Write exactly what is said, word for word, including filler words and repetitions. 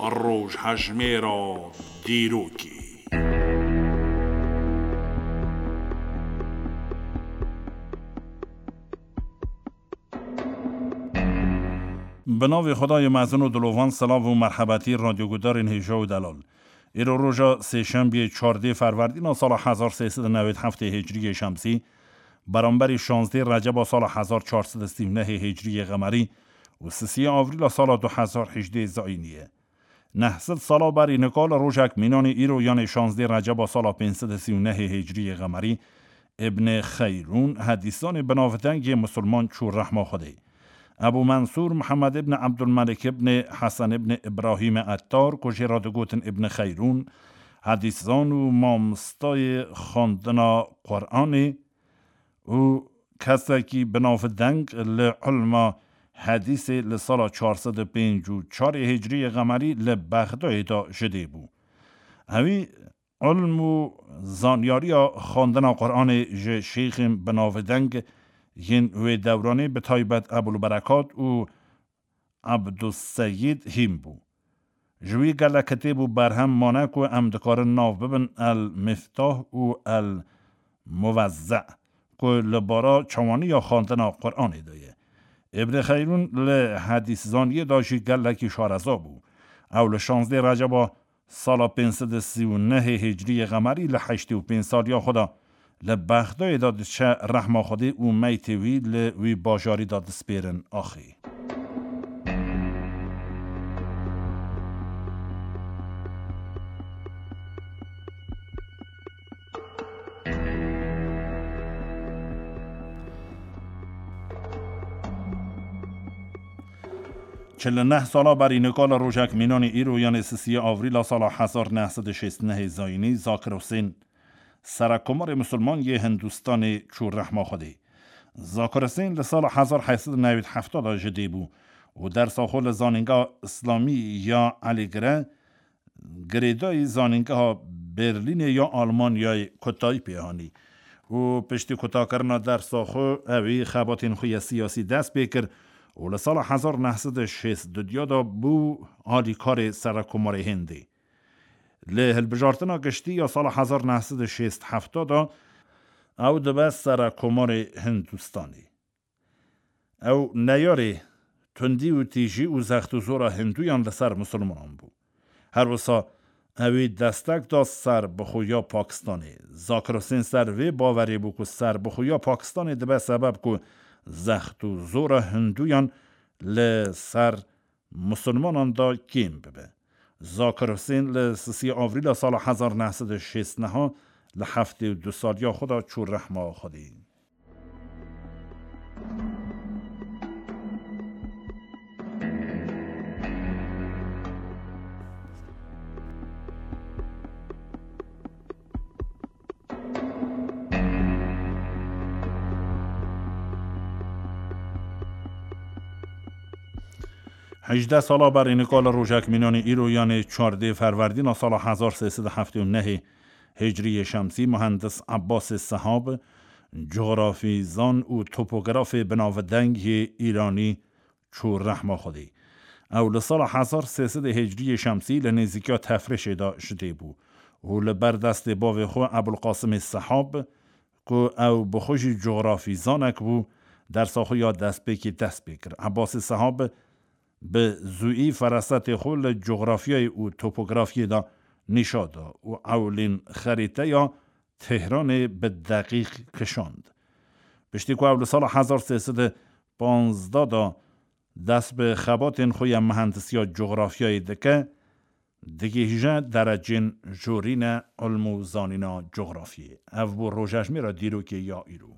Rojhejmêra dîrokê. Bi navê Xwedayê mezin û dilovan, silav û merhebetî radyogudarên hêja û delal. Îro roja sêşembiyê çardê ferwerdîna sala hezar sê sed û newêd heftê hicriyê şemsî, beramberî şazdê receba sala hezar çar sed û sî û nehê hicriyê qemerî û sisiyê avrîla sala du hezar hejdê zayînî ye. Neh sed sala berî nika li rojek mînanê îro, yanê şazdê receba sala pênc sed û sî û nehê hicriyê qemerî, Îbnê Xeyrûn, hedîsanê binavdengê misilman çû rehma Xwedê. Ebû Mensûr Mihemed îbn Ebdulmelik îbnê Hesen îbnê Îbrahîmê Ettar, ku jê re digotin Îbnê Xeyrûn, hedîsan û mamostayê xwendina Quranê û kesekî binavdeng li ilma hedîsê li sala çar sed û pênc û çarê hicriyê qemerî li Bexdayê de ji dê bû. Ewî ilm û zanyariya xwendina Quranê ji şêxên binavdeng yên wê dewranê, bi taybet Ebûl Berekat û Ebduseyîd hîn bû. Ji wî gelek kitêb û berhem mane ku em dikarin nav bibin El Miftah û El Muvezze, ku li bara çawaniya xwendina Quranê de ye. Îbnê Xeyrûn li hedîszaniyê de jî gelekî şareza bû. Ew li şazdê Receba sala pênc sed û sî û nehê hicriyê qemerî li heştê û pênc saliya xwe de li Bexdayê de diçe rehma Xwedê û meytê wî li wî bajarî de dispêrin axê. Çil û neh sala berî nika li rojek mînanê îro, yanê sisiyê avrîla sala hezar neh sed û şêst û nehê zayînî, Zakir Husên, serekkomarê misilman yê Hindistanê, çû rehma Xwedê. Zakir Husên li sala hezar heyt sed û newîd hefta de ji dê bû û dersa xwe li Zanîngeha Îslamî ya Elîgire, girêdayî Zanîngeha Berlînê ya Almanyayê, kotayî pê hanî û piştî kotakirina dersa xwe, ewî xebatên xwe ya siyasî dest pê kir û li sala hezar neh sed û şêst û duya de bû alîkarê serekkomarê Hindê. Li hilbijartina giştî ya sala hezar neh sed û şêst hefta de ew dibe serekkomarê Hindistanê. Ew neyarê tundî û tîjî û zext û zora Hinduyan li ser misilmanan bû. Her wisa ewî destek da serbixweya Pakistanê. Zakir Husên ser vê bawerê bû ku serbixweya Pakistanê dibe sebeb ku zext û zora Hinduyan li ser misilmanan da kêm bibe. Zakir Husên li sisiyê avrîla sala hezar neh sed û şêst neha li heftê û du saliya xwe de çû rehma Xwedê. Hejdeh sala berî nika li rojek mînanê îro, yanê çardê ferwerdîna sala hezar sê sed û heftê û nehê hicriyê şemsî, muhendis Ebbasê Sehab, cografîzan û topografê binavdeng yê Îranî, çû rehma Xwedê. Ew li sala hezar sê sed hicriyê şemsî li nêzîkiya Tefrêşê de ji dê bû û li ber destê bavê xwe Ebulqasimê Sehab, ku ew bi xwe jî cografîzanek bû, dersa xwe ya destpêkê dest pê kir. Ebbasê Sehab bi zûî ferasetê xwe li cografyayê û topografyê de nîşa da û ewlîn xerîteya Tehranê bi deqîq kişand. Piştî ku ew li sala hezar sê sed û panzdeh de dest bi xebatên xwe ya mihendisiya cografyayê dike, digihîje derecên jorîne ilm û zanîna cografyê. Ev bû rojejmêra dîrokê ya îro.